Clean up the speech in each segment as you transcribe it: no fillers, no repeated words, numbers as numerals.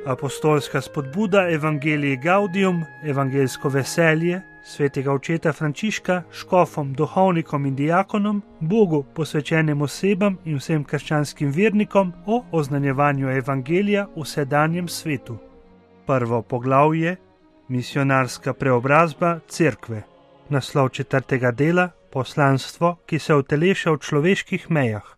Apostolska spodbuda Evangelii Gaudium, evangeljsko veselje, svetega očeta Frančiška, škofom, duhovnikom in diakonom, Bogu posvečenim osebam in vsem krščanskim vernikom o oznanjevanju evangelija v sedanjem svetu. Prvo poglavje: Misionarska preobrazba cerkve. Naslov 4. dela: Poslanstvo, ki se uteleša v človeških mejah.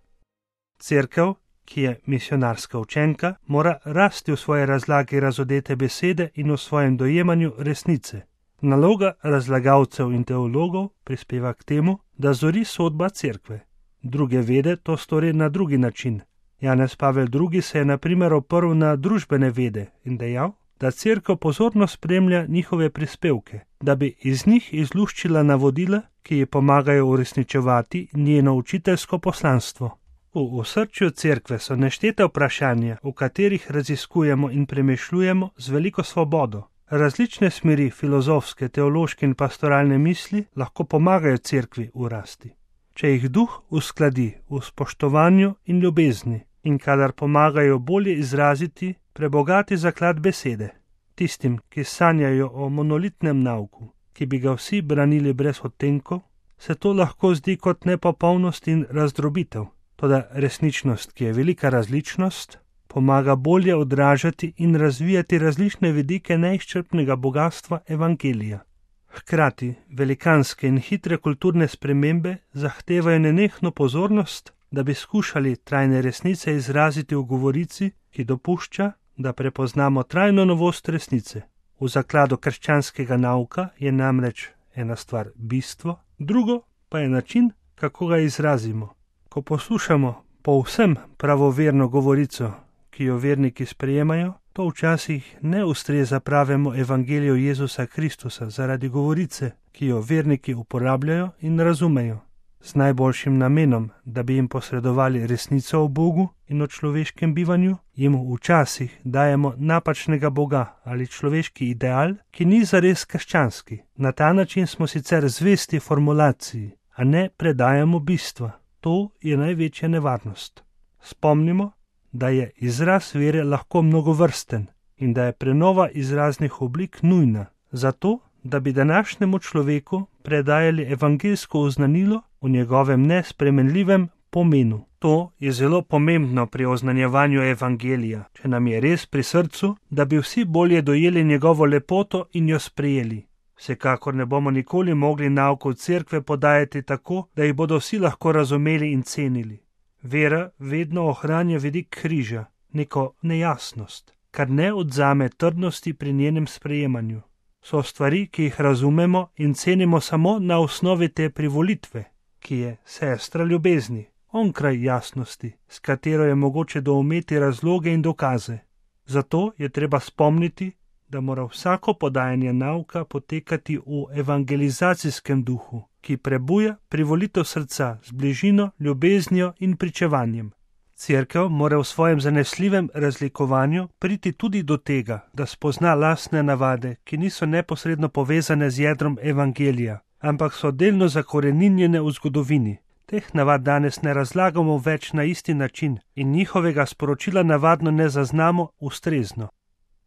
Cerkev, ki je misionarska učenka, mora rasti v svoji razlagi razodete besede in v svojem dojemanju resnice. Naloga razlagalcev in teologov prispeva k temu, da zori sodba cerkve. Druge vede to stori na drugi način. Janez Pavel II. Se je na primer oprl na družbene vede in dejal, da cerkev pozorno spremlja njihove prispevke, da bi iz njih izluščila navodila, ki ji pomagajo uresničevati njeno učiteljsko poslanstvo. V osrčju cerkve so nešteta vprašanja, v katerih raziskujemo in premišljujemo z veliko svobodo. Različne smeri filozofske, teološke in pastoralne misli lahko pomagajo cerkvi v rasti, če jih duh uskladi v spoštovanju in ljubezni in kadar pomagajo bolje izraziti prebogati zaklad besede. Tistim, ki sanjajo o monolitnem nauku, ki bi ga vsi branili brez odtenkov, se to lahko zdi kot nepopolnost in razdrobitev. Toda resničnost, ki je velika različnost, pomaga bolje odražati in razvijati različne vidike neizčrpnega bogatstva evangelija. Hkrati velikanske in hitre kulturne spremembe zahtevajo nenehno pozornost, da bi skušali trajne resnice izraziti v govorici, ki dopušča, da prepoznamo trajno novost resnice. V zakladu krščanskega nauka je namreč ena stvar bistvo, drugo pa je način, kako ga izrazimo. Ko poslušamo povsem pravoverno govorico, ki jo verniki sprejemajo, to včasih ne ustreza pravemu evangeliju Jezusa Kristusa zaradi govorice, ki jo verniki uporabljajo in razumejo, z najboljšim namenom, da bi jim posredovali resnico o Bogu in o človeškem bivanju, jim včasih dajemo napačnega Boga ali človeški ideal, ki ni zares krščanski. Na ta način smo sicer zvesti formulaciji, a ne predajamo bistva. To je največja nevarnost. Spomnimo, da je izraz vere lahko mnogovrsten in da je prenova izraznih oblik nujna, zato, da bi današnjemu človeku predajali evangeljsko oznanilo v njegovem nespremenljivem pomenu. To je zelo pomembno pri oznanjevanju evangelija, če nam je res pri srcu, da bi vsi bolje dojeli njegovo lepoto in jo sprejeli. Vsekakor ne bomo nikoli mogli naukov cerkve podajati tako, da jih bodo vsi lahko razumeli in cenili. Vera vedno ohranja vidik križa, neko nejasnost, kar ne odzame trdnosti pri njenem sprejemanju. So stvari, ki jih razumemo in cenimo samo na osnovi te privolitve, ki je sestra ljubezni, onkraj jasnosti, s katero je mogoče doumeti razloge in dokaze. Zato je treba spomniti, da mora vsako podajanje nauka potekati v evangelizacijskem duhu, ki prebuja privolitev srca z bližino, ljubeznijo in pričevanjem. Cerkev mora v svojem zanesljivem razlikovanju priti tudi do tega, da spozna lastne navade, ki niso neposredno povezane z jedrom evangelija, ampak so delno zakoreninjene v zgodovini. Teh navad danes ne razlagamo več na isti način in njihovega sporočila navadno ne zaznamo ustrezno.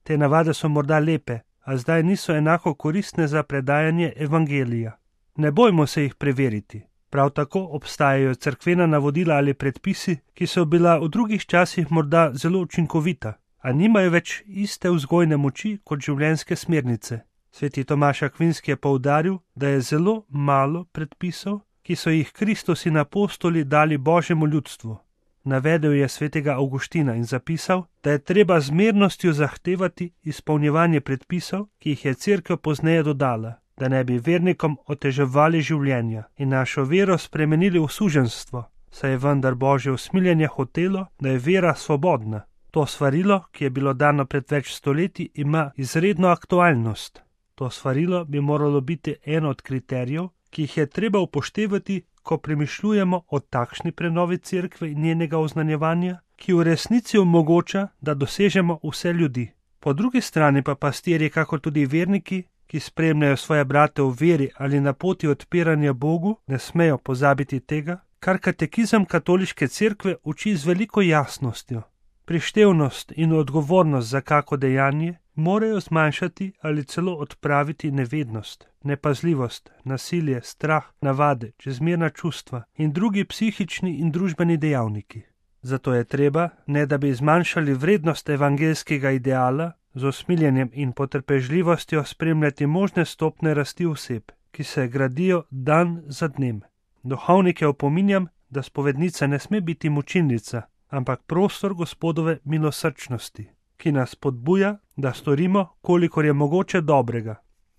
Te navade so morda lepe, a zdaj niso enako koristne za predajanje evangelija. Ne bojmo se jih preveriti. Prav tako obstajajo cerkvena navodila ali predpisi, ki so bila v drugih časih morda zelo učinkovita, a nimajo več iste vzgojne moči kot življenjske smernice. Sveti Tomaž Akvinski je poudaril, da je zelo malo predpisov, ki so jih Kristus in apostoli dali Božjemu ljudstvu. Navedel je svetega Avguština in zapisal, da je treba z mirnostjo zahtevati izpolnjevanje predpisov, ki jih je cerkev pozneje dodala, da ne bi vernikom oteževali življenja in našo vero spremenili v suženjstvo, saj je vendar Božje usmiljenje hotelo, da je vera svobodna. To svarilo, ki je bilo dano pred več stoletji, ima izredno aktualnost. To svarilo bi moralo biti eno od kriterijev, ki jih je treba upoštevati, ko premišljujemo o takšni prenovi cerkve in njenega oznanjevanja, ki v resnici omogoča, da dosežemo vse ljudi. Po drugi strani pa pastirji, kakor tudi verniki, ki spremljajo svoje brate v veri ali na poti odpiranja Bogu, ne smejo pozabiti tega, kar katekizem katoliške cerkve uči z veliko jasnostjo. Prištevnost in odgovornost za kako dejanje morajo zmanjšati ali celo odpraviti nevednost, nepazljivost, nasilje, strah, navade, čezmerna čustva in drugi psihični in družbeni dejavniki. Zato je treba, ne da bi zmanjšali vrednost evangeljskega ideala, z usmiljenjem in potrpežljivostjo spremljati možne stopnje rasti oseb, ki se gradijo dan za dnem. Duhovnike opominjam, da spovednica ne sme biti mučilnica, ampak prostor Gospodove milosrčnosti, ki nas spodbuja, da storimo, kolikor je mogoče dobrega.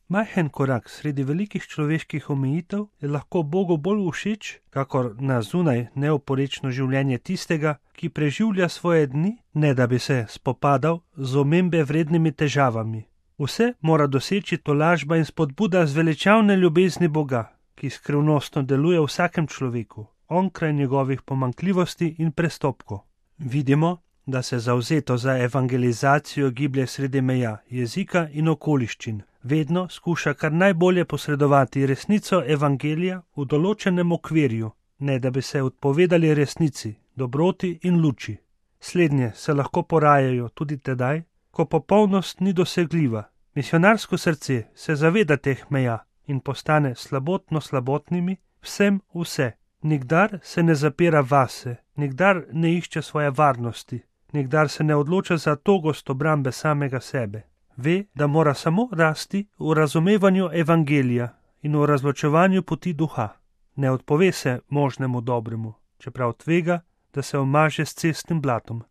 Majhen korak sredi velikih človeških omejitev je lahko Bogu bolj všeč, kakor na zunaj neoporečno življenje tistega, ki preživlja svoje dni, ne da bi se spopadal z omembe vrednimi težavami. Vse mora doseči tolažba in spodbuda zveličavne ljubezni Boga, ki skrivnostno deluje v vsakem človeku, onkraj njegovih pomanjkljivosti in prestopkov. Vidimo, da se zavzeto za evangelizacijo giblje sredi meja jezika in okoliščin, vedno skuša kar najbolje posredovati resnico evangelija v določenem okvirju, ne da bi se odpovedali resnici, dobroti in luči. Slednje se lahko porajajo tudi tedaj, ko popolnost ni dosegljiva. Misionarsko srce se zaveda teh meja in postane slabotnimi, vsem vse. Nikdar se ne zapira vase, nikdar ne išče svoje varnosti, nikdar se ne odloča za togost obrambe samega sebe. Ve, da mora samo rasti v razumevanju evangelija in v razločevanju poti duha. Ne odpove se možnemu dobremu, čeprav tvega, da se omaže s cestnim blatom.